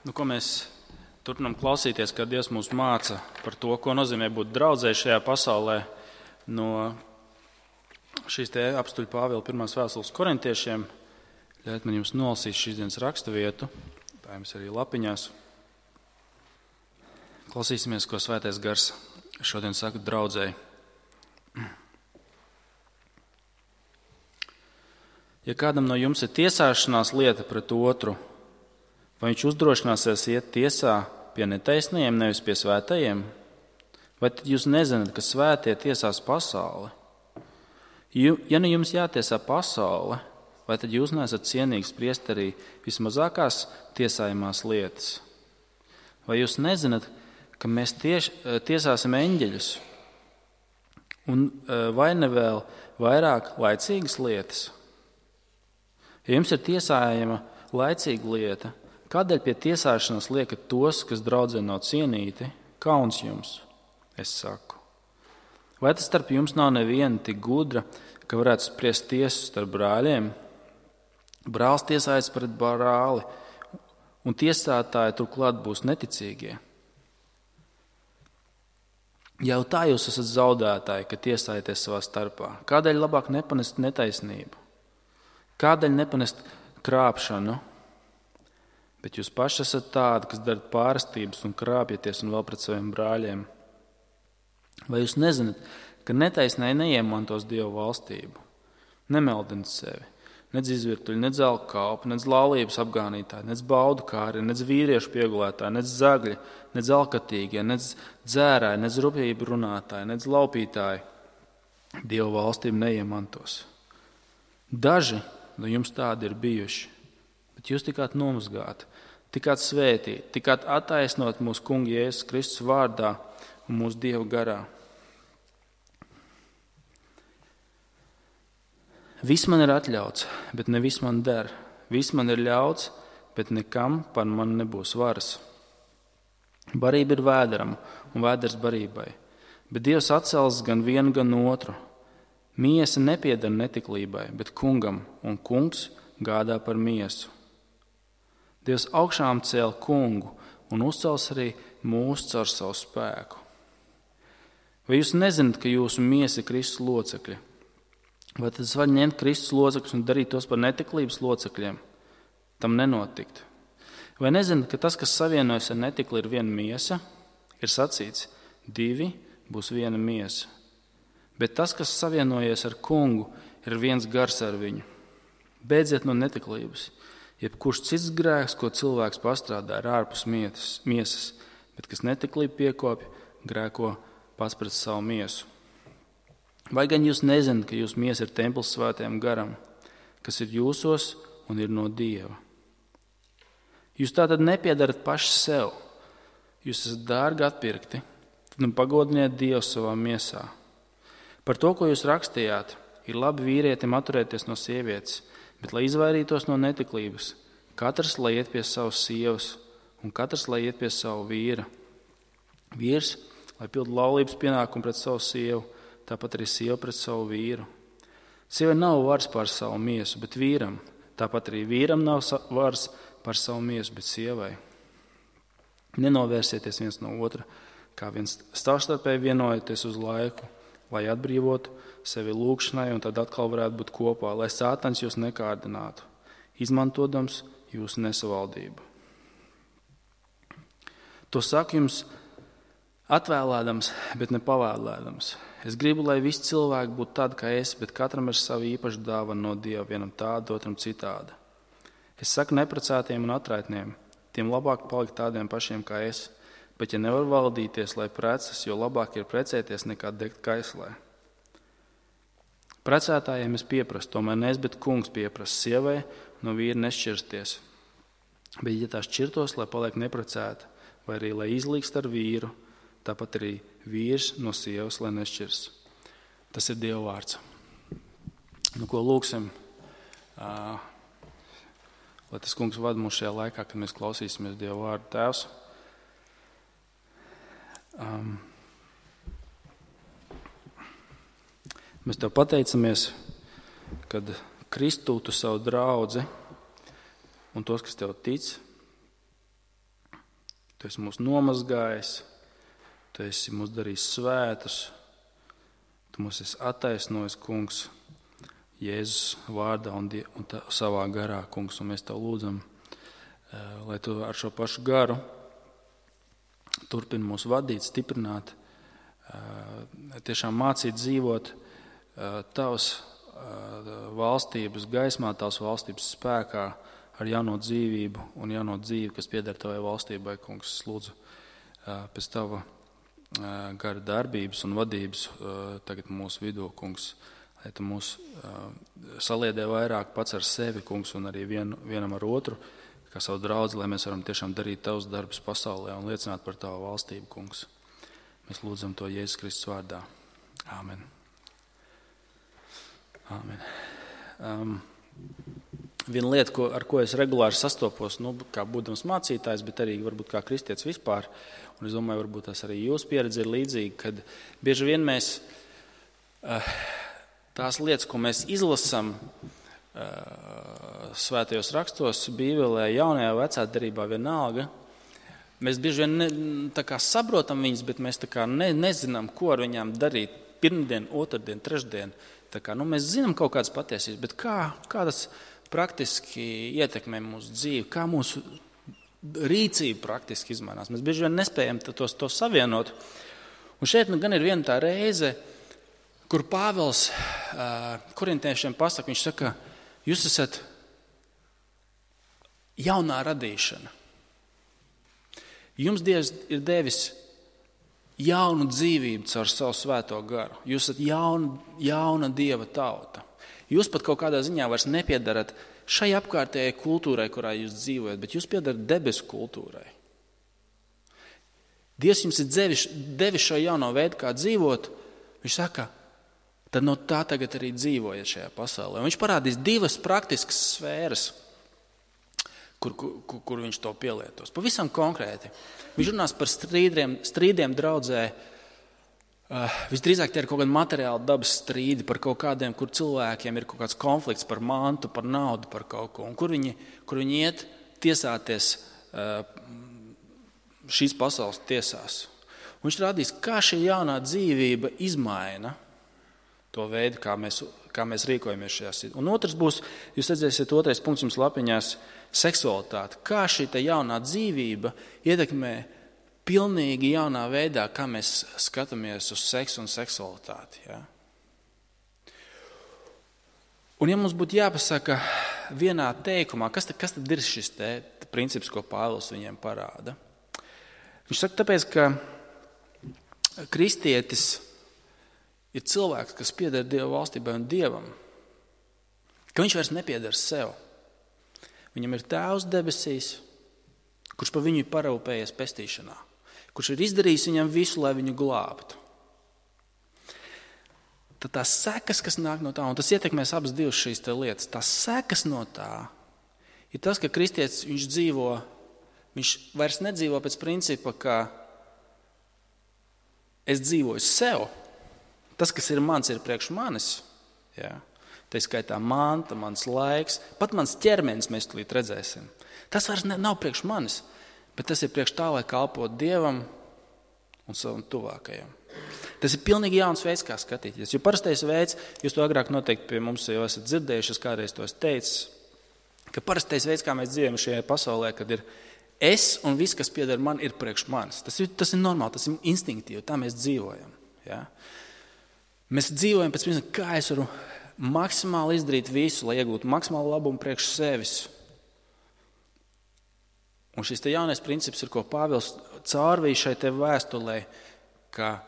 Ko mēs turpinām klausīties, kad Dievs mūs māca par to, ko nozīmē būt draudzē šajā pasaulē no šīs te apstuļa Pāvila 1. vēstules korintiešiem. Ļaujiet man jums nolasīt šīs dienas raksturvietu, tā jums arī lapiņās. Klausīsimies, ko Svētais Gars šodien saka draudzēji. Ja kādam no jums ir tiesāšanās lieta pret otru, vai viņš uzdrošināsies iet tiesā pie netaisnajiem, nevis pie svētajiem? Vai tad jūs nezināt, ka svētie tiesās pasauli? Ja nu jums jātiesā pasaule, vai tad jūs neesat cienīgi spriest arī vismazākās tiesājumās lietas? Vai jūs nezināt, ka mēs tiesāsim eņģeļus? Un vai ne vēl vairāk laicīgas lietas? Ja jums ir tiesājama laicīga lieta, kādēļ pie tiesāšanas liekat tos, kas draudzē nav cienīti? Kauns jums, es saku. Vai tas starp jums nav neviena tik gudra, ka varētu spriest tiesu starp brāļiem? Brālis tiesājas pret brāli, un tiesātāji turklāt būs neticīgie. Jau tā jūs esat zaudētāji, ka tiesājaties savā starpā. Kādēļ labāk nepanest netaisnību? Kādēļ nepanest krāpšanu? Bet jūs paši esat tādi, kas darat pārastības un krāpjaties un vēl pret saviem brāļiem. Vai jūs nezināt, ka netaisnēji neiemantos Dieva valstību? Nemeldiniet sevi, nedz izvirtuļi, nedz alkkalpi, nedz laulības apgānītāji, nedz baudu kāri, nedz vīriešu piegulētāji, nedz zagļi, nedz alkatīgie, nedz dzērāji, nedz rupjību runātāji, nedz laupītāji Dieva valstību neiemantos. Daži no jums tādi ir bijuši, bet jūs tikāt nomazgāti, tikāt svētīti, tikāt attaisnot mūsu Kunga Jēzus Kristus vārdā un mūsu Dieva garā. Viss man ir atļauts, bet ne viss man der. Viss man ir ļauts, bet nekam par mani nebūs varas. Barība ir vēderam un vēders barībai, bet Dievs atcels gan vienu, gan otru. Miesa nepieder netiklībai, bet Kungam, un Kungs gādā par miesu. Dievs augšām cēl Kungu un uzcels arī mūs caur savu spēku. Vai jūs nezināt, ka jūsu miesa ir Kristus locekļi? Vai tad es varu ņemt Kristus locekļus un darīt tos par netiklības locekļiem? Tam nenotikt. Vai nezināt, ka tas, kas savienojas ar netikli, ir viena miesa? Ir sacīts, 2 būs viena miesa. Bet tas, kas savienojies ar Kungu, ir viens gars ar viņu. Beidziet no netiklības. Jebkurš cits grēks, ko cilvēks pastrādā, ir ārpus miesas, bet kas netiklību piekopja, grēko pats pret savu miesu. Vai gan jūs nezināt, ka jūsu miesa ir templis svētajam garam, kas ir jūsos un ir no Dieva? Jūs tātad nepiedarat paši sev. Jūs esat dārgi atpirkti, tad nu pagodiniet Dievu savā miesā. Par to, ko jūs rakstījāt, ir labi vīrietim atturēties no sievietes, bet, lai izvairītos no netiklības, katrs lai iet pie savas sievas un katrs lai iet pie savu vīra. Vīrs, lai pild laulības pienākumu pret savu sievu, tāpat arī sieva pret savu vīru. Sievai nav varas pār savu miesu, bet vīram. Tāpat arī vīram nav varas pār savu miesu, bet sievai. Nenovērsieties viens no otra, kā viens savstarpēji vienojoties uz laiku, lai atbrīvotu sevi lūgšanai un tad atkal varētu būt kopā, lai Sātans jūs nekārdinātu, izmantodams jūsu nesavaldību. To saku jums atvēlēdams, bet ne pavēlēdams. Es gribu, lai visi cilvēki būtu tādi kā es, bet katram ir savu īpašu dāvanu no Dieva, vienam tāda, otram citāda. Es saku neprecētiem un atraitniem, tiem labāk palikt tādiem pašiem kā es, bet ja nevar valdīties, lai precas, jo labāk ir precēties nekā degt kaislē. Precētājiem es pieprasu, tomēr ne es, bet Kungs pieprasa sievai no vīra nešķirsties. Bet ja tā šķirtos, lai paliek neprecēta, vai arī lai izlīgst ar vīru, tāpat arī vīrs no sievas, lai nešķirs. Tas ir Dieva vārds. Ko lūksim, lai tas Kungs vada mūs šajā laikā, kad mēs klausīsimies Dieva vārdu. Tēvs, mēs Tev pateicamies, kad Kristu Tu savu draudzi un tos, kas Tev tic, Tu esi mūs nomazgājis, Tu esi mūs darījis svētus, Tu mūs esi attaisnojis, kungs, Jēzus vārdā un savā garā, kungs, un mēs Tev lūdzam, lai Tu ar šo pašu garu turpini mūs vadīt, stiprināt, tiešām mācīt dzīvot Tavas valstības gaismā, Tavas valstības spēkā, ar jauno dzīvību un jauno dzīvi, kas pieder Tavai valstībai, kungs. Es lūdzu pēc Tava gara darbības un vadības tagad mūsu vidū, kungs, lai Tu mūs saliedē vairāk pats ar sevi, kungs, un arī vienam ar otru, kā savu draudzi, lai mēs varam tiešām darīt Tavus darbus pasaulē un liecināt par Tavu valstību, kungs. Mēs lūdzam to Jēzus Kristus vārdā. Āmen. Āmen. Viena lieta, ar ko es regulāri sastopos, kā būdams mācītājs, bet arī varbūt kā kristietis vispār, un es domāju, varbūt tas arī jūsu pieredze ir līdzīga, kad bieži vien mēs tās lietas, ko mēs izlasam svētajos rakstos, Bībelē, jaunajā, vecā derībā vienalga, mēs bieži vien saprotam viņas, bet mēs nezinām, ko ar viņām darīt pirmdien, otrdien, trešdien. Mēs zinām kaut kādas patiesības, bet kā tas praktiski ietekmē mūsu dzīvi, kā mūsu rīcība praktiski izmainās. Mēs bieži vien nespējam to savienot. Un šeit gan ir viena tā reize, kur Pāvils korintiešiem pasaka, viņš saka, jūs esat jaunā radīšana. Jums Dievs ir devis jaunu dzīvību caur savu svēto garu. Jūs esat jauna Dieva tauta. Jūs pat kaut kādā ziņā vairs nepiedarat šai apkārtējai kultūrai, kurā jūs dzīvojat, bet jūs piedarat debesu kultūrai. Dievs jums ir devis šo jauno veidu, kā dzīvot. Viņš saka, tad no tā tagad arī dzīvojiet šajā pasaulē. Un viņš parādīs divas praktiskas sfēras, kur viņš to pielietos. Pavisam konkrēti. Viņš runās par strīdiem draudzē. Visdrīzāk tie ir kaut kādi materiāli dabas strīdi par kaut kādiem, kur cilvēkiem ir kaut kāds konflikts par mantu, par naudu, par kaut ko. Un kur viņi iet tiesāties šīs pasaules tiesās. Un viņš rādīs, kā šī jaunā dzīvība izmaina to veidu, kā mēs rīkojamies šajā situācijā. Un otrs būs, jūs redzēsiet, otrais punkts jums lapiņās, seksualitāte. Kā šī jaunā dzīvība ietekmē pilnīgi jaunā veidā, kā mēs skatāmies uz seksu un seksualitāti. Ja? Un ja mums būtu jāpasaka vienā teikumā, kas tad ir šis princips, ko Pāvils viņiem parāda? Viņš saka, tāpēc, ka kristietis ir cilvēks, kas pieder Dieva valstībai un Dievam, ka viņš vairs nepieder sev. Viņam ir Tēvs debesīs, kurš par viņu ir parūpējies pestīšanā, kurš ir izdarījis viņam visu, lai viņu glābtu. Tad tās sekas, kas nāk no tā, un tas ietekmēs abas divas šīs lietas, tās sekas no tā ir tas, ka kristietis viņš vairs nedzīvo pēc principa, ka es dzīvoju sev. Tas, kas ir mans, ir priekš manis. Ja? Tā skaitā manta, mans laiks, pat mans ķermenis mēs tulīt redzēsim. Tas vairs nav priekš manis, bet tas ir priekš tā, lai kalpot Dievam un savam tuvākajam. Tas ir pilnīgi jauns veids, kā skatīties. Jo parastais veids, jūs to agrāk noteikti pie mums jau esat dzirdējuši, es kādreiz to esmu teicis, ka parastais veids, kā mēs dzīvojam šajā pasaulē, kad ir es un viss, kas pieder man, ir priekš manis. Tas ir normāli, tas ir instinktīvi, tā mēs dzīvojam. Ja? Mēs dzīvojam pēc principa, kā es varu maksimāli izdarīt visu, lai iegūtu maksimālu labumu priekš sevis. Un šis jaunais princips ir, ko Pāvils caurvīja šai vēstulē, ka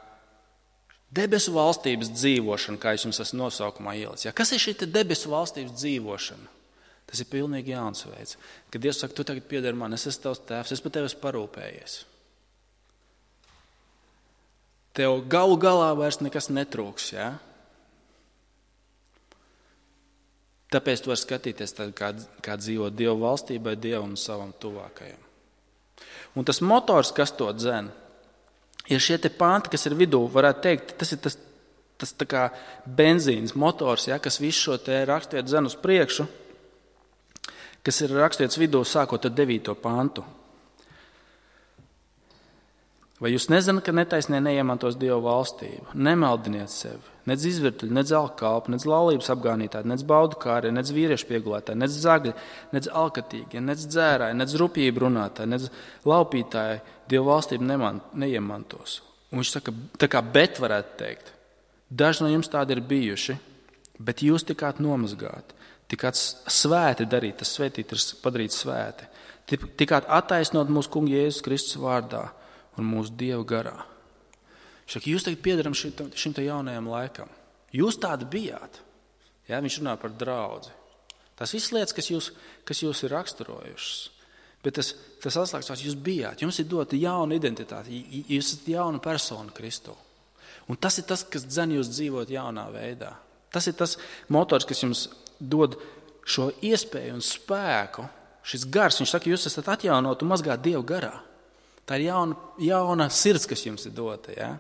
debesu valstības dzīvošana, kā es jums esmu nosaukumā ielicis. Ja, kas ir šī debesu valstības dzīvošana? Tas ir pilnīgi jauns veids. Kad Dievs saka, tu tagad pieder man, es esmu tavs tēvs, es par tevi esmu parūpējies. Tev galu galā vairs nekas netrūks, ja? Tāpēc tu vari skatīties, kā dzīvot Dieva valstībai, Dievam un savam tuvākajam. Un tas motors, kas to dzen, ir šie te panti, kas ir vidū, varētu teikt, tas ir tas tā kā benzīns motors, ja, kas visu šo te rakstvietu dzen uz priekšu, kas ir rakstvietas vidū sākot ar 9. pantu. Vai jūs nezināt, ka netaisnie neiemantos Dieva valstību? Nemaldiniet sevi, nec izvirtuļi, nec alkalpi, nec laulības apgānītāji, nec baudu kāri, nec vīriešu piegulētāji, nec zagļi, nec alkatīgie, nec dzērāji, nec rupjību runātāji, nec laupītāji Dieva valstību neiemantos. Un viņš saka, tā kā bet varētu teikt, daži no jums tādi ir bijuši, bet jūs tikāt nomazgāti, tikāt svēti darīt, tas svētīt ir padarīt svēti, tikāt attaisnot mūsu kunga Jēzus Kristus vārdā un mūsu Dieva garā. Šak, jūs tagad piedaram šim te jaunajam laikam. Jūs tādi bijāt. Ja, viņš runā par draudzi. Tas viss lietas, kas jūs ir raksturojušas. Bet tas atslēgas, jūs bijāt. Jums ir dota jauna identitāte. Jūs esat jauna persona Kristu. Un tas ir tas, kas dzen jūs dzīvot jaunā veidā. Tas ir tas motors, kas jums dod šo iespēju un spēku. Šis gars, viņš saka, jūs esat atjaunot un mazgāt Dievu garā. Tā ir jauna sirds, kas jums ir dota. Ja?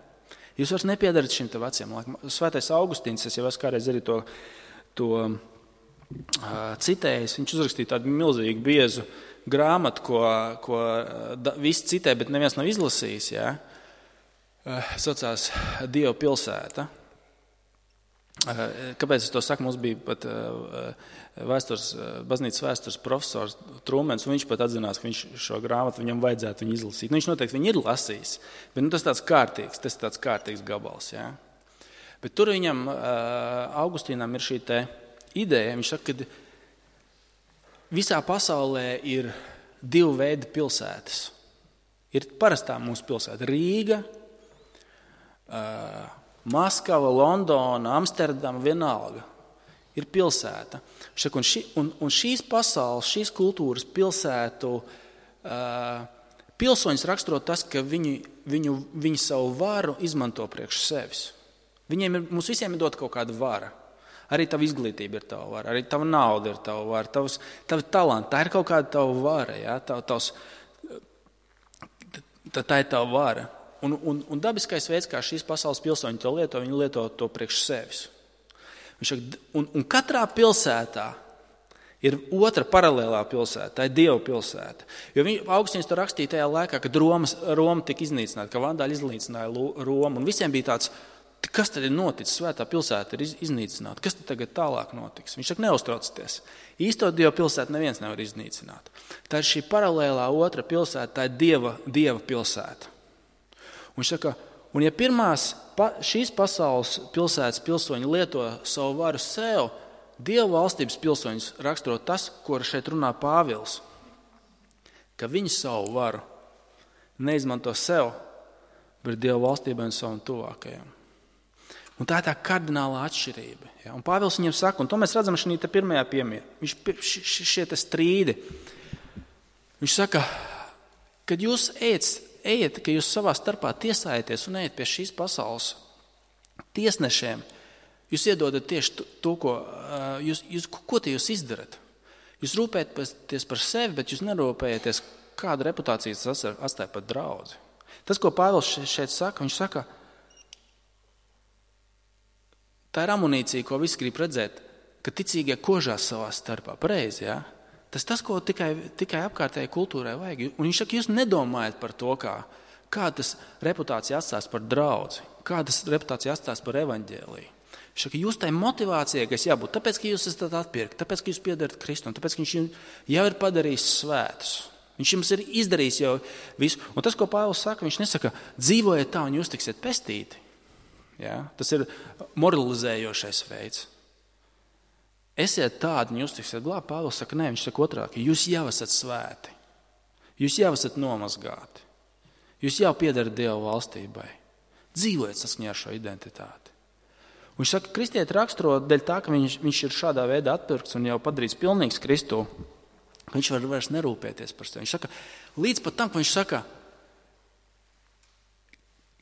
Jūs vairs nepiedarat šim te veciem laikam. Svētais Augustīns, es jau esmu kādreiz arī to citējis. Viņš uzrakstīja tādu milzīgu biezu grāmatu, ko visi citē, bet neviens nav izlasījis. Ja? Saucās Dieva pilsēta. Kāpēc es to saku? Mums bija pat baznīcas vēstures profesors Trūmens, un viņš pat atzinās, ka viņš šo grāmatu viņam vajadzētu viņu izlasīt. Viņš noteikti viņu ir lasījis, bet tas ir tāds kārtīgs gabals. Ja? Bet tur viņam, Augustīnam, ir šī te ideja. Viņš saka, ka visā pasaulē ir divu veidu pilsētas. Ir parastā mūsu pilsēta Rīga, Maskava, Londona, Amsterdama, vienalga. Ir pilsēta. Un šīs pasaules, šīs kultūras pilsētu pilsoņus raksturo tas, ka viņi savu varu izmanto priekš sevis. Mums visiem ir dot kaut kāda vara. Arī tava izglītība ir tava vara, arī tava nauda ir tava vara, tavi talanti, tā ir kaut kāda tava vara. Ja? Tā ir tava vara. Un dabiskais veids, kā šīs pasaules pilsoņi to lieto, viņi lieto to priekš sevis. Un katrā pilsētā ir otra paralēlā pilsēta, tā ir Dieva pilsēta. Jo Augustīns to rakstīja tajā laikā, kad Roma tika iznīcināta, ka vandāļi iznīcināja Romu. Un visiem bija tāds, kas tad ir noticis, svētā pilsēta ir iznīcināta, kas tad tagad tālāk notiks? Viņš saka, neuztraucieties. Īsto Dieva pilsētu neviens nevar iznīcināt. Tā ir šī paralēlā otra pilsēta, tā ir Dieva pilsēta. Un viņš saka, un ja šīs pasaules pilsētas pilsoņi lieto savu varu sev, Dieva valstības pilsoņus raksturo tas, ko šeit runā Pāvils, ka viņi savu varu neizmanto sev, bet Dieva valstībai un savam tuvākajam. Un tā ir tā kardinālā atšķirība. Ja? Un Pāvils viņiem saka, un to mēs redzam šī pirmajā piemērā, šie strīdi. Viņš saka, kad jūs ejiet, ka jūs savā starpā tiesājaties un ejiet pie šīs pasaules tiesnešiem, jūs iedodat tieši to, ko jūs izdarat. Jūs rūpējaties par sevi, bet jūs nerūpējaties, kādu reputāciju tas atstāja par draudzi. Tas, ko Pāvils šeit saka, viņš saka, tā ir amunīcija, ko visi grib redzēt, ka ticīgie kožās savā starpā. Pareizi, ja? Tas, ko tikai apkārtējai kultūrai vajag. Un viņš saka, jūs nedomājat par to, kā tas reputācija atstās par draudzi, kā tas reputācija atstās par evaņģēliju. Viņš saka, jūs tai motivācijai, kas jābūt, tāpēc, ka jūs esat atpirkti, tāpēc, ka jūs piedarat Kristum, tāpēc, ka viņš jau ir padarījis svētus. Viņš jums ir izdarījis jau visu. Un tas, ko Pāvils saka, viņš nesaka, dzīvojiet tā un jūs tiksiet pestīti. Ja? Tas ir moralizējošais veids. Esiet tādi, un jūs tiksiet glābti. Pāvils saka, nē, viņš saka otrāk, jūs jau esat svēti. Jūs jau esat nomazgāti. Jūs jau piedarat Dieva valstībai. Dzīvojiet saskaņā ar šo identitāti. Un viņš saka, kristieti raksturo dēļ tā, ka viņš ir šādā veidā atpirkts un jau padarīts pilnīgs Kristū. Viņš var vairs nerūpēties par sevi. Viņš saka, līdz pat tam, ka viņš saka,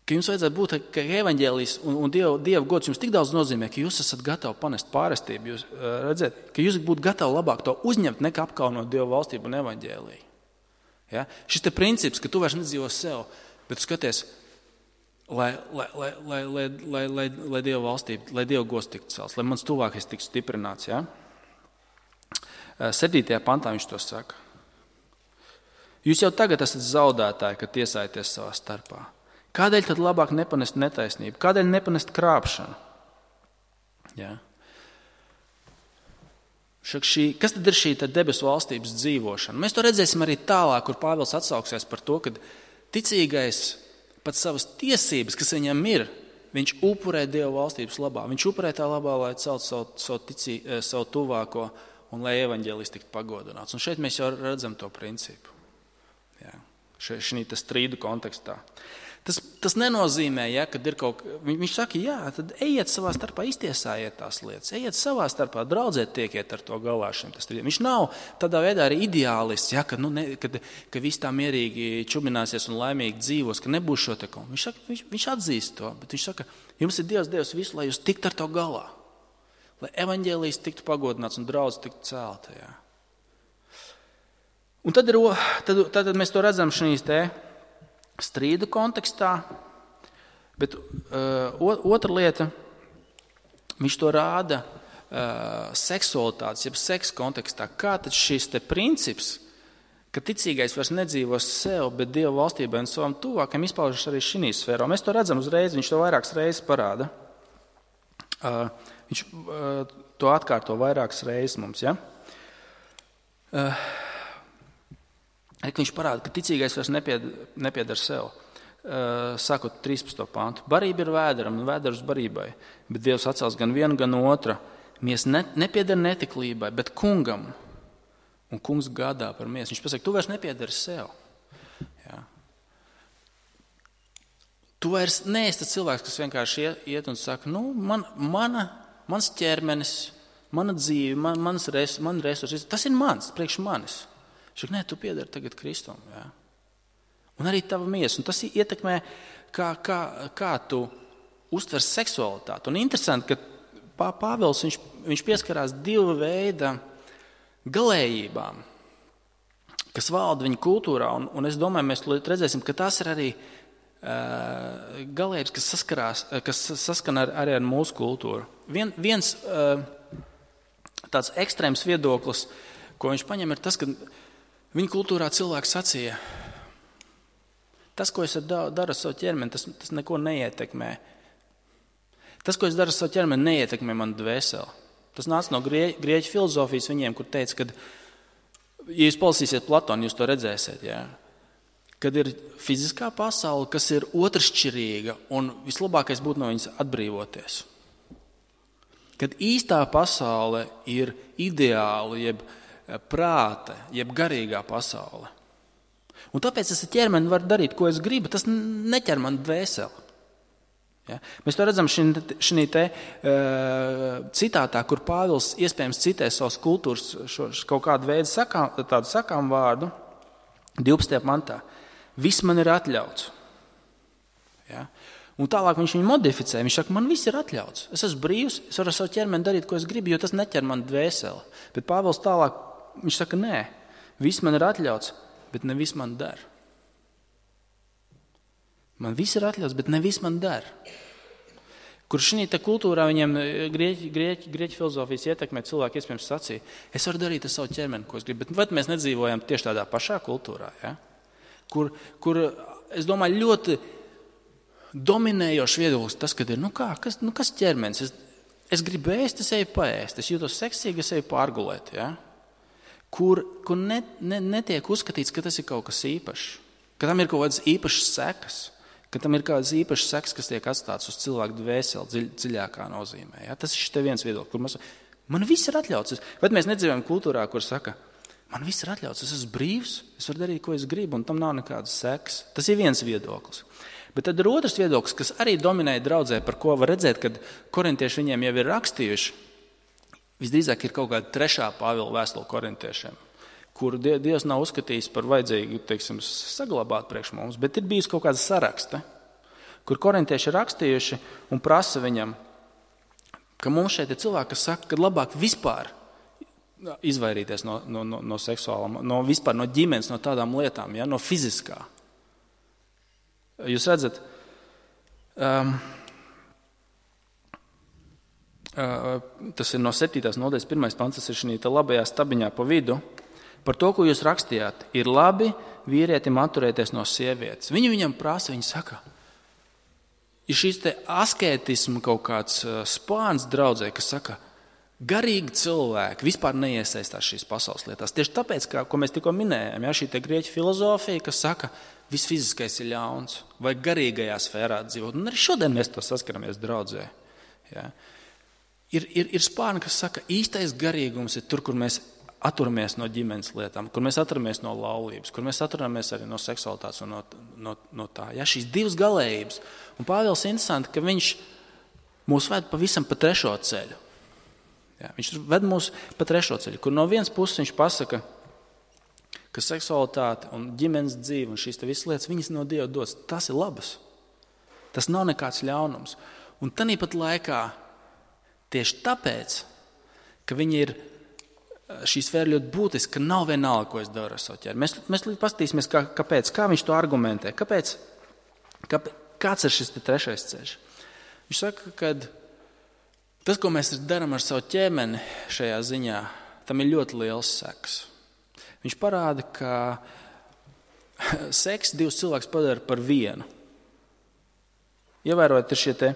ka jums vajadzētu būt, ka evaņģēlijs un Dieva gods jums tik daudz nozīmē, ka jūs esat gatavi panest pārestību. Jūs redzat, ka jūs būtu gatavi labāk to uzņemt, nekā apkaunot Dieva valstību un evaņģēliju. Ja? Šis te princips, ka tu vairs nedzīvo sev, bet tu skaties, lai Dieva valstība, lai Dieva gods tiktu celts, lai mans tuvākais tiktu stiprināts. Ja? 7. pantā viņš to saka. Jūs jau tagad esat zaudētāji, kad tiesājaties savā starpā. Kādēļ tad labāk nepanest netaisnību? Kādēļ nepanest krāpšanu? Ja? Kas tad ir šī debesu valstības dzīvošana? Mēs to redzēsim arī tālāk, kur Pāvils atsauksies par to, ka ticīgais pat savas tiesības, kas viņam ir, viņš upurē Dieva valstības labā. Viņš upurē tā labā, lai celtu savu tuvāko un lai evaņģēlis tiktu pagodināts. Un šeit mēs jau redzam to principu. Ja? Šī strīdu kontekstā. Tas nenozīmē, ja, kad ir kaut kas, viņš saka, jā, tad ejiet savā starpā, iztiesājiet tās lietas, ejiet savā starpā, draudzēt tiekiet ar to galā šim tas strīdiem. Viņš nav tādā veidā arī ideālists, ja, ka viss tā mierīgi čubināsies un laimīgi dzīvos, ka nebūs šo te kaut. Viņš atzīst to, bet viņš saka, jums ir Dievs devis visu, lai jūs tiktu ar to galā, lai evaņģēlijs tiktu pagodināts un draudz tiktu celta. Ja. Un tad mēs to redzam šīs te strīdu kontekstā, bet otra lieta, viņš to rāda seksualitātes, jeb seksa kontekstā. Kā tad šis te princips, ka ticīgais vairs nedzīvos sev, bet Dieva valstībai un savam tuvākam izpaužas arī šī sfērā. Mēs to redzam uzreiz, viņš to vairākas reizes parāda. Viņš to atkārto vairākas reizes mums, ja? Viņš parāda, ka ticīgais vairs nepiedar sev. Sākot 13. pāntu. Barība ir vēderam un vēders barībai, bet Dievs atcels gan vienu, gan otra. Miesa nepiedar netiklībai, bet kungam. Un kungs gādā par miesu. Viņš pasaka, tu vairs nepiedari sev. Ja. Tu vairs neesi tas cilvēks, kas vienkārši iet un saka, mans ķermenis, mana dzīve, man resursi, tas ir mans, priekš manis. Šak, nē, tu piedari tagad Kristum. Ja? Un arī tava miesa. Un tas ietekmē, kā tu uztver seksualitāti. Un interesanti, ka Pāvils viņš pieskarās divu veidu galējībām, kas valda viņa kultūrā. Un es domāju, mēs redzēsim, ka tās ir arī galējības, kas saskan arī ar mūsu kultūru. Viens tāds ekstrēms viedoklis, ko viņš paņem, ir tas, ka viņa kultūrā cilvēks sacīja, tas, ko es daru ar savu ķermeni, tas neko neietekmē. Tas, ko es daru ar savu ķermeni, neietekmē manu dvēseli. Tas nāca no grieķu filozofijas viņiem, kur teica, ka, ja jūs palasīsiet Platonu, jūs to redzēsiet, ja? Kad ir fiziskā pasaule, kas ir otršķirīga, un vislabākais būtu no viņas atbrīvoties. Kad īstā pasaule ir ideāla, jeb prāta, jeb garīgā pasaule. Un tāpēc es ar ķermeni varu darīt, ko es gribu, tas neķer man dvēseli. Ja? Mēs to redzam šī citātā, kur Pāvils iespējams citē savas kultūras kaut kādu veidu tādu sakām vārdu, 12. pantā. Viss man ir atļauts. Ja? Un tālāk viņš viņu modificē. Viņš saka, man viss ir atļauts. Es esmu brīvs, es varu ar savu ķermeni darīt, ko es gribu, jo tas neķer man dvēseli. Bet Pāvils tālāk, viņš saka, nē, viss man ir atļauts, bet ne viss man der. Man viss ir atļauts, bet ne viss man der. Kur šī kultūrā viņiem grieķu filozofijas ietekmē cilvēki iespējams sacīja, es varu darīt ar savu ķermeni, ko es gribu, bet vai mēs nedzīvojam tieši tādā pašā kultūrā, ja? Kur es domāju, ļoti dominējošs viedoklis tas, kad ir, kas ķermenis? Es gribu ēst, es eju paēst, es jūtos seksīgi, es eju pārgulēt, ja? Kur netiek uzskatīts, ka tas ir kaut kas īpašs, ka tam ir kaut kādas īpašas sekas, ka tam ir kādas īpašas sekas, kas tiek atstātas uz cilvēku dvēseli dziļākā nozīmē. Ja? Tas ir šis viens viedoklis, kur man viss ir atļauts. Bet mēs nedzīvojam kultūrā, kur saka, man viss ir atļauts, es esmu brīvs, es varu darīt, ko es gribu, un tam nav nekādas sekas. Tas ir viens viedoklis. Bet tad ir otrs viedoklis, kas arī dominēja draudzē, par ko var redzēt, kad korintieši viņiem jau ir rakstījuši. Visdrīzāk ir kaut kāda 3. Pāvila vēstule korintiešiem, kuru Dievs nav uzskatījis par vajadzīgu, saglabāt priekš mums, bet ir bijis kaut kāda saraksta, kur korintieši ir rakstījuši un prasa viņam, ka mums šeit ir cilvēki, kas saka, ka labāk vispār izvairīties no seksuālām, vispār no ģimenes, no tādām lietām, ja, no fiziskā. Jūs redzat, tas ir no 7. nodaļas 1. pants, tas ir šī labajā stabiņā pa vidu. Par to, ko jūs rakstījāt, ir labi vīrietim atturēties no sievietes. Viņi viņam prasa, viņi saka, ir šīs te askētisma kaut kāds spāns draudzē, kas saka, garīgi cilvēki vispār neiesaistās šīs pasaules lietās. Tieši tāpēc, ko mēs tikko minējām, šī te grieķu filozofija, kas saka, viss fiziskais ir ļauns, vai garīgajā sfērā dzīvot. Un arī šodien mēs to saskaramies draudzē. Ja? Ir spārni, kas saka, īstais garīgums ir tur, kur mēs atturamies no ģimenes lietām, kur mēs atturamies no laulības, kur mēs atturamies arī no seksualitātes un no tā. Ja? Šīs divas galējības. Un Pāvils interesanti, ka viņš mūs ved pavisam pa trešo ceļu. Ja? Viņš ved mūs pa trešo ceļu, kur no vienas puses viņš pasaka, ka seksualitāte un ģimenes dzīve un šīs te visas lietas, viņas no Dieva dots. Tas ir labas. Tas nav nekāds ļaunums. Un tāpat laikā, tieši tāpēc, ka viņi ir šī sfēra ļoti būtiska, ka nav vienalga, ko es daru ar savu ķermeni. Mēs paskatīsimies, kāpēc, kā viņš to argumentē. Kāds ir šis trešais ceļš? Viņš saka, ka tas, ko mēs darām ar savu ķermeni šajā ziņā, tam ir ļoti liels sekas. Viņš parāda, ka seks divus cilvēkus padara par vienu. Ievērojot šie te,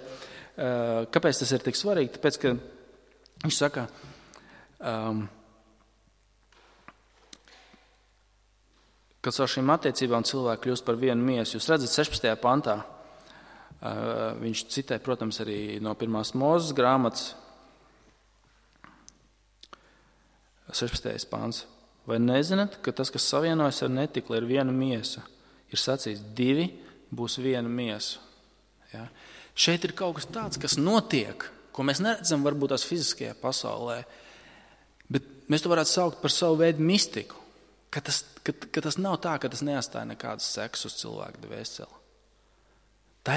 kāpēc tas ir tik svarīgi? Tāpēc, ka viņš saka, kad ar šīm attiecībām cilvēki kļūst par vienu miesu. Jūs redzat 16. pantā, viņš citē, protams, arī no 1. Mūzes grāmatas 16. pants. Vai nezināt, ka tas, kas savienojas ar netikli, ir viena miesa? Ir sacīts, divi būs viena miesa. Ja? Šeit ir kaut kas tāds, kas notiek, ko mēs neredzam varbūt tās fiziskajā pasaulē, bet mēs to varētu saukt par savu veidu mistiku, ka tas nav tā, ka tas neatstāja nekādas sekas uz cilvēku dvēseli. Tā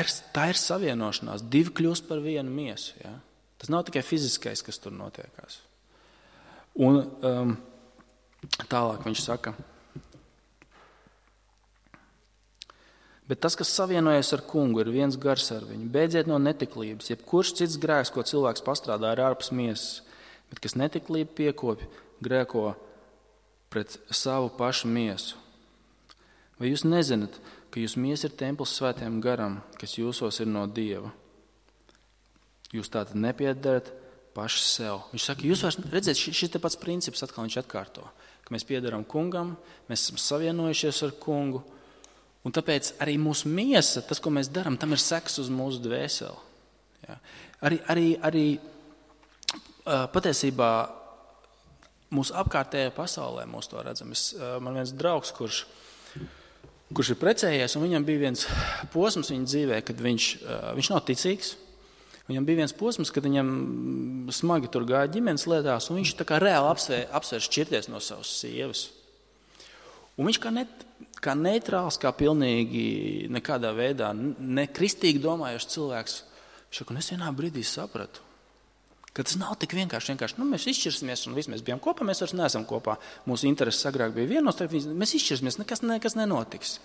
ir savienošanās, divi kļūst par vienu miesu. Ja? Tas nav tikai fiziskais, kas tur notiekās. Un tālāk viņš saka, bet tas, kas savienojas ar kungu, ir viens gars ar viņu. Beidziet no netiklības, jebkurš cits grēks, ko cilvēks pastrādā, ir ārpus miesas, bet kas netiklību piekopja, grēko pret savu pašu miesu. Vai jūs nezināt, ka jūs miesa ir templis svētajam garam, kas jūsos ir no Dieva? Jūs tātad nepiedarat paši sev. Viņš saka, jūs vairs redzēt, šis te pats princips atkal viņš atkārto, ka mēs piedaram kungam, mēs esam savienojušies ar kungu, un tāpēc arī mūsu miesa, tas, ko mēs darām, tam ir seks uz mūsu dvēseli. Ja? Arī patiesībā mūsu apkārtējā pasaulē mūs to redzam. Man viens draugs, kurš ir precējies, un viņam bija viens posms viņa dzīvē, kad viņš nav ticīgs. Viņam bija viens posms, kad viņam smagi tur gāja ģimenes lietās, un viņš tā kā reāli apsvērs šķirties no savas sievas. Un viņš kā neitrāls, kā pilnīgi nekādā veidā nekristīgi domājošs cilvēks, viņš saka, un es vienā brīdī sapratu, ka tas nav tik vienkārši. Mēs izšķirsimies, un visi mēs bijām kopā, mēs vairs neesam kopā. Mūsu intereses agrāk bija vienos, mēs izšķirsimies, nekas nenotiks.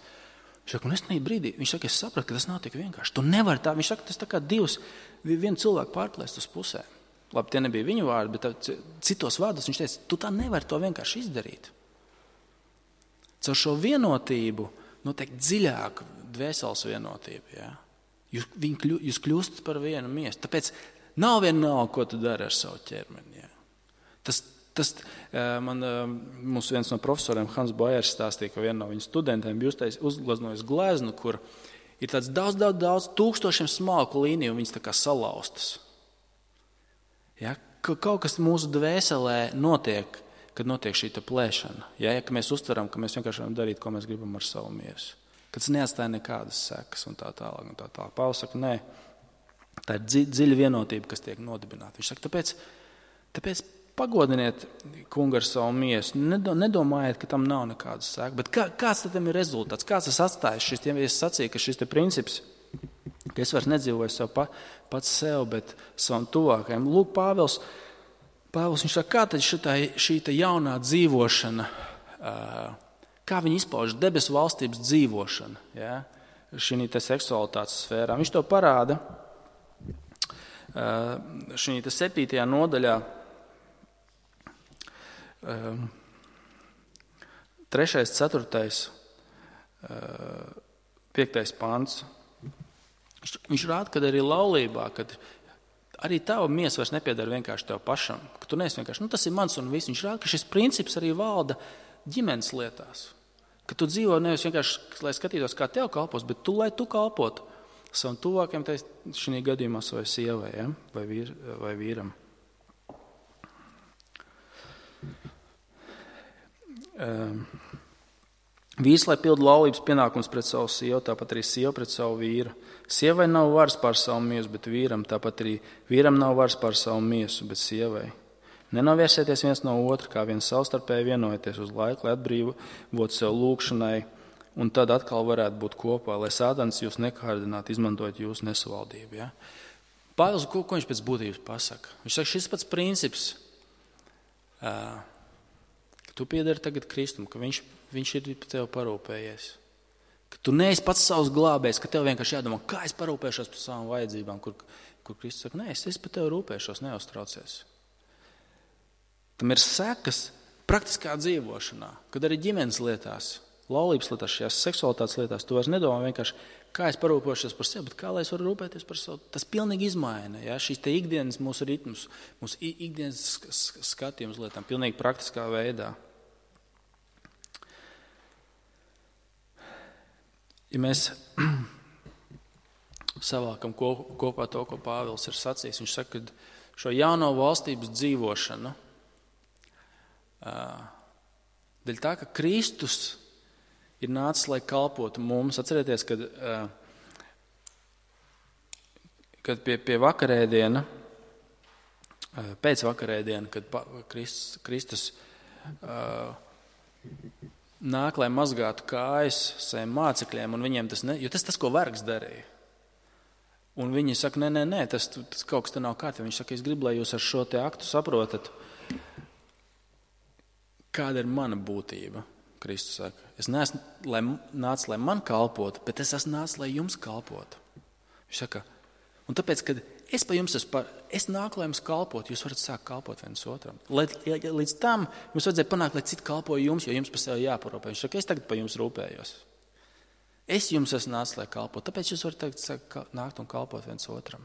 Viņš saka, un es tajā brīdī, viņš saka, es sapratu, ka tas nav tik vienkārši. Tu nevari tā, viņš saka, tas tā kā vienu cilvēku pārplēst uz pusēm. Labi, tie nebija viņu vārdi, bet citos vārdos viņš teica, tu tā nevari to vienkārši izdarīt. Caur šo vienotību notiek dziļāka dvēseles vienotība. Ja? Jūs kļūstat par vienu miesu. Tāpēc nav vienalga, ko tu dari ar savu ķermeni. Ja? Mums viens no profesoriem, Hans Bojers, stāstīja, ka viena no viņa studentiem bija uzgleznojis gleznu, kur ir tāds daudz tūkstošiem smalku līniju, un viņas tā kā salauztas. Ja? Kaut kas mūsu dvēselē notiek, kad notiek šī plēšana. Ja? Ka mēs uztveram, ka mēs vienkārši varam darīt, ko mēs gribam ar savu miesu. Kad tas neatstāja nekādas sekas un tā tālāk. Pāvils saka, nē, tā ir dziļa vienotība, kas tiek nodibināta. Viņš saka, tāpēc pagodiniet kungu ar savu miesu. Nedomājiet, ka tam nav nekādas sekas. Bet kāds tam ir rezultāts? Kāds tas atstājas? Es sacīju, ka šis princips, ka es vairs nedzīvoju sev pats sev, bet savam tuvākajam. Lūk, Pāvils, viņš saka, kā tad šī jaunā dzīvošana, kā viņi izpauž debesu valstības dzīvošana, ja? Šī seksualitātes sfērā. Viņš to parāda šī 7. nodaļā, 3., 4., 5. pants. Viņš rāda, ka arī laulībā, kad arī tava miesa vairs nepiedara vienkārši tev pašam, ka tu neesi vienkārši, tas ir mans un viss. Viņš rāda, ka šis princips arī valda ģimenes lietās. Ka tu dzīvo nevis vienkārši, lai skatītos, kā tev kalpos, bet lai tu kalpotu savam tuvākajam, šajā gadījumā savai sievai, ja? vai vīram. Vīrs, lai pilda laulības pienākums pret savu sievu, tāpat arī sieva pret savu vīru. Sievai nav varas pār savu miesu, bet vīram, tāpat arī vīram nav varas pār savu miesu, bet sievai. Nenovērsieties viens no otra, kā viens savstarpēji vienojieties uz laiku, lai atbrīvotu sev lūgšanai, un tad atkal varētu būt kopā, lai Sātans jūs nekārdinātu, izmantojot jūsu nesavaldību. Ja? Pāvils, ko viņš pēc būtības pasaka? Viņš saka, šis pats princips, ka tu piedari tagad Kristum, ka viņš ir par tevi parūpējies. Ka tu neesi pats savs glābējs, ka tev vienkārši jādomā, kā es parūpēšos par savām vajadzībām, kur Kristus saka, nē, es par tevi rūpēšos, neuztraucies. Tam ir sekas praktiskā dzīvošanā, kad arī ģimenes lietās, laulības lietās, šajās seksualitātes lietās, tu vairs nedomā vienkārši, kā es parūpēšos par sevi, bet kā lai es varu rūpēties par sevi. Tas pilnīgi izmaina, ja? Šīs te ikdienas mūsu ritmus, mūsu ikdienas skatījums lietām, pilnīgi praktiskā veidā. Ja mēs savākam kopā to, ko Pāvils ir sacījis, viņš saka, ka šo jauno valstības dzīvošanu, dēļ tā, ka Kristus ir nācis, lai kalpotu mums. Atcerieties, kad pie vakarēdiena, pēc vakarēdiena, kad Kristus nāk, lai mazgātu kājas saviem mācekļiem, un viņiem jo tas, ko vergs darīja. Un viņi saka, nē, tas kaut kas te nav kārtībā. Viņš saka, es gribu, lai jūs ar šo te aktu saprotat, kāda ir mana būtība. Kristus saka, es neesmu nācis, lai man kalpotu, bet es esmu nācis, lai jums kalpotu. Viņš saka, un tāpēc, kad es pa jums es nāku, lai jums kalpotu, jūs varat sākt kalpot viens otram. Līdz tam jums vajadzēja panākt, lai citi kalpoja jums, jo jums par sevi jāparūpē. Viņš saka, es tagad pa jums rūpējos. Es jums esmu nācis, lai kalpotu, tāpēc jūs varat tagad nākt un kalpot viens otram.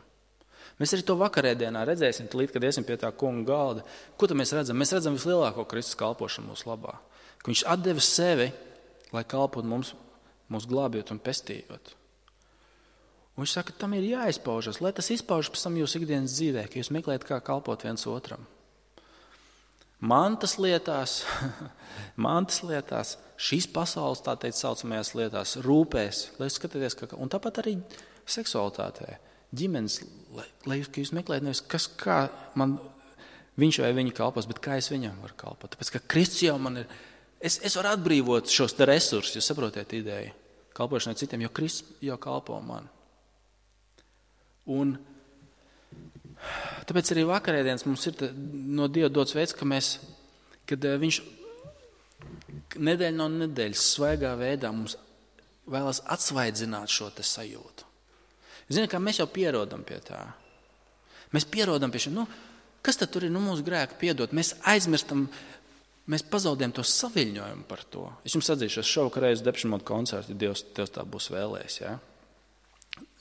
Mēs arī to vakarēdienā redzēsim, līdz, kad iesim pie tā kunga galda. Ko tad mēs redzam? Mēs redzam vislielāko Kristus kalpošanu mūsu labā. Ka viņš atdeva sevi, lai kalpotu mums glābjot un pestījot. Un viņš saka, tam ir jāizpaužas, lai tas izpaužas pēc tam jūsu ikdienas dzīvē, ka jūs meklējat, kā kalpot viens otram. Mantas lietās, šīs pasaules, tā teikt, saucamajās lietās, rūpēs, lai skatieties, un tāpat arī seksualitātē, ģimenes, lai jūs meklējat nevis, kā man viņš vai viņa kalpos, bet kā es viņam varu kalpot. Tāpēc, ka Kristus jau man ir, es varu atbrīvot šos te resursus, jūs saprotiet ideju, kalpošanai citiem, jo Kristus jau kalpo man. Un tāpēc arī vakarēdienas mums ir no Dieva dots veids, kad viņš nedēļa no nedēļas svaigā veidā mums vēlas atsvaidzināt šo te sajūtu. Zini, kā mēs jau pierodam pie tā. Mēs pierodam pie šī, kas tad tur ir, mūsu grēku piedot? Mēs aizmirstam, mēs pazaudējam to saviļņojumu par to. Es jums atzīšu, es šovakar reiz Depeche Mode koncertu, Dievs tā būs vēlējis, ja?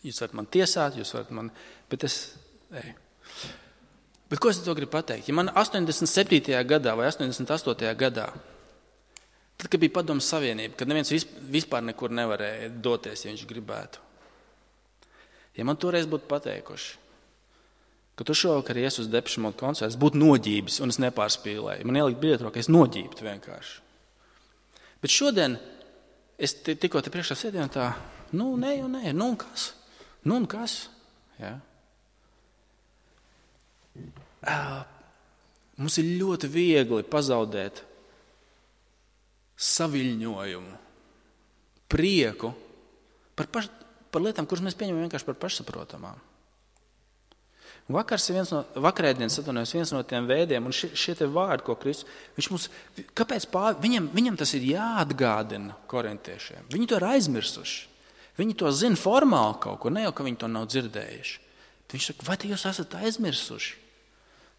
Jūs varat man tiesāt, jūs varat man, bet Bet ko es to gribu pateikt? Ja man 87. gadā vai 88. gadā, tad, kad bija Padomu Savienība, kad neviens vispār nekur nevarēja doties, ja viņš gribētu. Ja man toreiz būtu pateikuši, ka tu šovakar ies uz Depeche Mode koncertu, es būtu noģības un es nepārspīlēju. Man ielikt biļeti rokā, es noģībtu vienkārši. Bet šodien es tikko te priekšā sēdēju un tā, nē, un kas? Ja? Mums ir ļoti viegli pazaudēt saviļņojumu, prieku par lietām, kuras mēs pieņemam vienkārši par pašsaprotamām. Vakarēdienas viens no tiem veidiem, un šie te vārdi, ko Kristus, viņš mums, kāpēc viņam tas ir jāatgādina korintiešiem? Viņi to ir aizmirsuši. Viņi to zina formāli kaut ko, ne jau, ka viņi to nav dzirdējuši. Viņš saka, vai jūs esat aizmirsuši,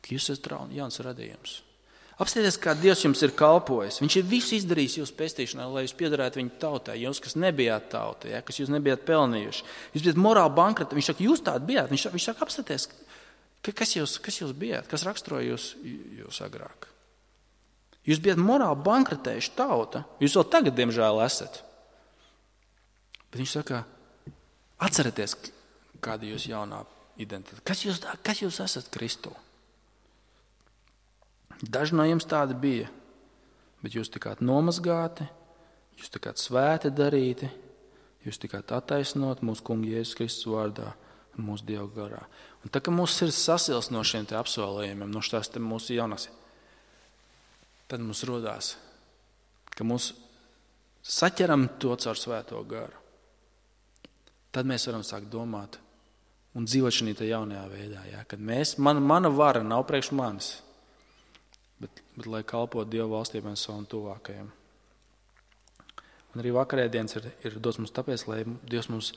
ka jūs esat jauns radījums? Apstieties, kā Dievs jums ir kalpojis. Viņš ir visu izdarījis jūsu pestīšanā, lai jūs piederētu viņa tautai. Jūs, kas nebijāt tauta, ja, kas jūs nebijāt pelnījuši. Jūs bijat morāli bankroti. Viņš saka, jūs tādi bijāt. Viņš saka, apstieties, kas jūs bijāt, kas raksturoja jūs agrāk. Jūs bijat morāli bankrotējuši tauta. Jūs vēl tagad, diemžēl, esat. Bet viņš saka, atcerieties, kāda jūs jaunā identitāte. Kas jūs esat Kristū? Daži no jums tādi bija, bet jūs tikāt nomazgāti, jūs tikāt svēti darīti, jūs tikāt attaisnot mūsu kunga Jēzus Kristus vārdā un mūsu Dieva garā. Un tā, ka mūsu sirds sasils no šiem te apsolījumiem, no šās te mūsu jaunās, tad mums rodās, ka mūs saķeram to caur svēto garu. Tad mēs varam sākt domāt un dzīvot šī te jaunajā veidā, ja? Kad mana vara nav priekš manis, bet lai kalpot Dieva valstībai un savam tuvākajam. Un arī vakarēdienas ir dots mums tāpēc, lai Dievs mums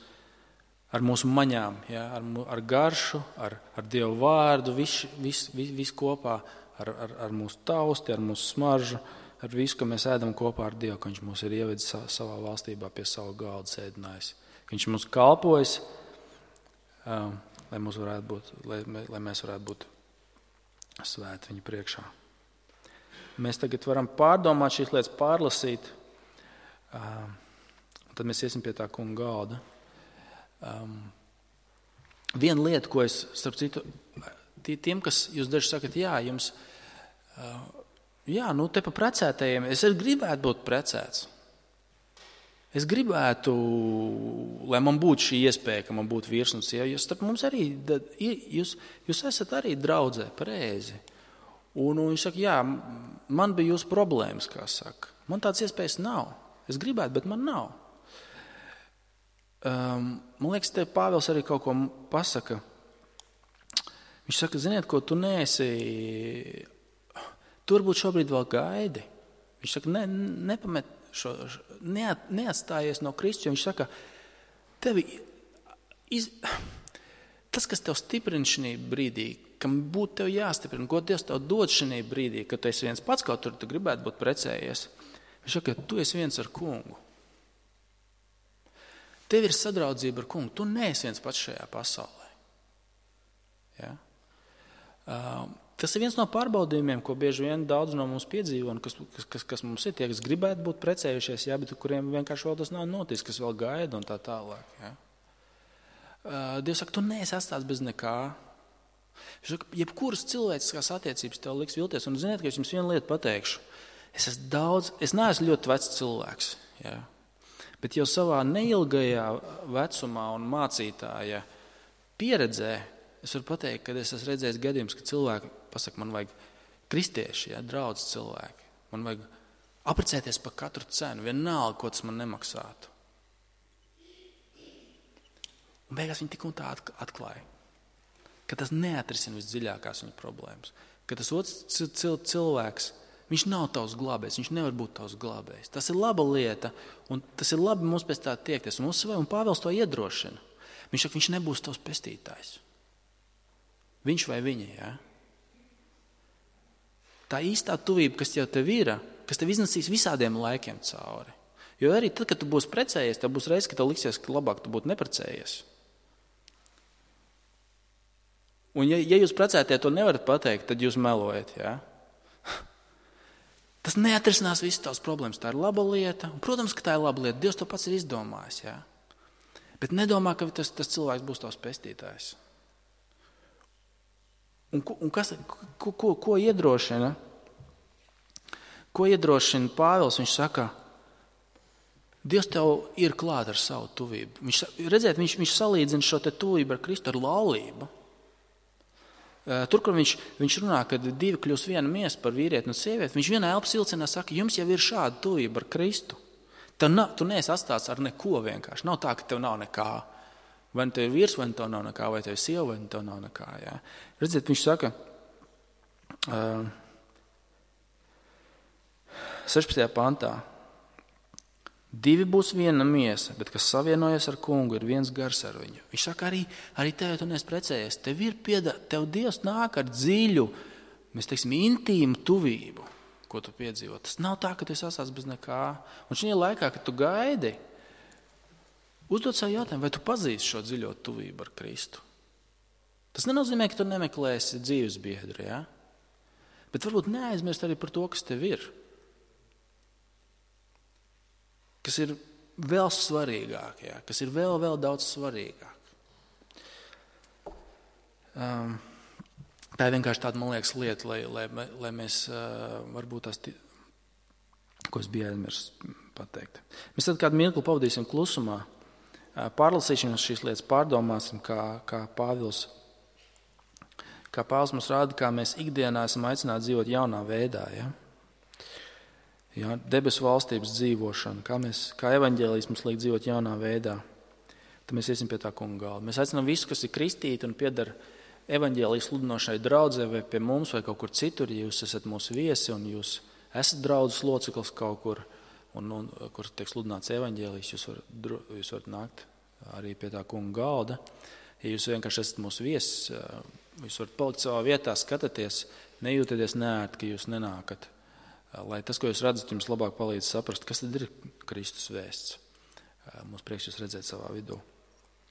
ar mūsu maņām, ja, ar garšu, ar Dievu vārdu, viss kopā, ar mūsu tausti, ar mūsu smaržu, ar visu, ka mēs ēdam kopā ar Dievu, ka Viņš mūs ir ievedis savā valstībā pie savu galdu sēdinājis. Viņš mums kalpojas, lai mēs varētu būt svēti Viņa priekšā. Mēs tagad varam pārdomāt šīs lietas, pārlasīt, un tad mēs iesim pie tā kunga galda. Viena lieta, ko es, starp citu, tiem, kas jūs daži sakat, jums, te pa precētajiem, es gribētu būt precēts. Es gribētu, lai man būtu šī iespēja, ka man būtu vīrs un sieva, jo starp mums arī, jūs esat arī draudzē, pareizi. Un viņš saka, man bija jūsu problēmas, kā saka. Man tādas iespējas nav. Es gribētu, bet man nav. Man liekas, te Pāvils arī kaut ko pasaka. Viņš saka, ziniet, ko tu neesi, tu varbūt šobrīd vēl gaidi. Viņš saka, nepamet neatstājies no Kristus, jo viņš saka, tas, kas tev stiprina šī brīdī, kam būtu tev jāstiprina, ko Dievs tev dod šī brīdī, kad tu esi viens pats, kaut tur tu gribētu būt precējies. Viņš saka, tu esi viens ar kungu. Tev ir sadraudzība ar kungu. Tu neesi viens pats šajā pasaulē. Ja? Tas ir viens no pārbaudījumiem, ko bieži vien daudz no mums piedzīvo, un kas mums ir tie, kas gribētu būt precējušies, bet kuriem vienkārši vēl tas nav noticis, kas vēl gaida un tā tālāk. Ja? Dievs saka, tu neesi atstāts bez nekā. Viņš saka, jebkuras cilvēciskās attiecības tev liks vilties, un ziniet, ka es jums vienu lietu pateikšu. Es neesmu ļoti vecs cilvēks, ja? Bet jau savā neilgajā vecumā un mācītāja pieredzē es varu pateikt, ka es esmu redzējis gadījumus, ka cilvēki pasaka, man vajag kristieši, draudz cilvēki. Man vajag apprecēties par katru cenu, vienalga, ko tas man nemaksātu. Un beigās viņi tik un tā atklāja, ka tas neatrisina visdziļākās viņa problēmas. Ka tas otrs cilvēks, viņš nav tavs glābējs, viņš nevar būt tavs glābējs. Tas ir laba lieta, un tas ir labi mums pēc tā tiekties. Un Pāvils to iedrošina. Viņš saka, viņš nebūs tavs pestītājs. Viņš vai viņa, ja? Tā īstā tuvība, kas tev ir, kas tev iznesīs visādiem laikiem cauri. Jo arī tad, kad tu būsi precējies, tev būs reiz, ka tev liksies, ka labāk tu būtu neprecējies. Un ja jūs precētie to nevarat pateikt, tad jūs melojat, ja? Tas neatrisinās visas tavas problēmas. Tā ir laba lieta. Un, protams, ka tā ir laba lieta. Dievs to pats ir izdomājis, ja? Bet nedomā, ka tas cilvēks būs tavs pestītājs. Un ko iedrošina? Ko iedrošina Pāvils? Viņš saka, Dievs tev ir klāt ar savu tuvību. Viņš salīdzina šo te tuvību ar Kristu ar laulību. Tur, kur viņš runā, kad divi kļūs viena miesa par vīrieti un sievieti, viņš vienā elpas vilcienā saka, jums jau ir šāda tuvība ar Kristu. Tu neesi atstāts ar neko vienkārši. Nav tā, ka tev nav nekā. Vai tev ir vīrs, vai tev nav nekā, vai tev ir sieva, vai tev nav nekā. Ja? Redziet, viņš saka, 16. pantā, divi būs viena miesa, bet kas savienojas ar kungu, ir viens gars ar viņu. Viņš saka, arī tev, ja tu neesi precējies, tev Dievs nāk ar dziļu mēs teiksim intīmu tuvību, ko tu piedzīvo. Tas nav tā, ka tu sasāc bez nekā. Un šajā laikā, kad tu gaidi, uzdod sev jautājumu, vai tu pazīsti šo dziļo tuvību ar Kristu. Tas nenozīmē, ka tu nemeklēsi dzīves biedru, ja? Bet varbūt neaizmirst arī par to, kas tev ir. Kas ir vēl svarīgāk, ja? Kas ir vēl daudz svarīgāk. Tā ir vienkārši tāda, man liekas, lieta, lai mēs varbūt tās, ko es biju aizmirsis pateikt. Mēs tad kādu mirkli pavadīsim klusumā, pārlasīsim šīs lietas, pārdomāsim, kā Pāvils mums rāda, kā mēs ikdienā esam aicināti dzīvot jaunā veidā. Ja? Ja, debesu valstības dzīvošana, kā evaņģēlijs mums liek dzīvot jaunā veidā. Tad mēs iesim pie tā kunga galda. Mēs aicinām visu, kas ir kristīti un pieder evaņģēlijas sludinošai draudzē vai pie mums vai kaut kur citur, ja jūs esat mūsu viesi un jūs esat draudzes loceklis kaut kur, un kur tiek sludināts evaņģēlijs, jūs varat nākt arī pie tā kunga galda. Ja jūs vienkārši esat mūsu viesis, jūs varat palikt savā vietā, skatāties, nejūtieties neērti, ka jūs nenākat. Lai tas, ko jūs redzat, jums labāk palīdz saprast, kas tad ir Kristus vēsts. Mums prieks jūs redzēt savā vidū.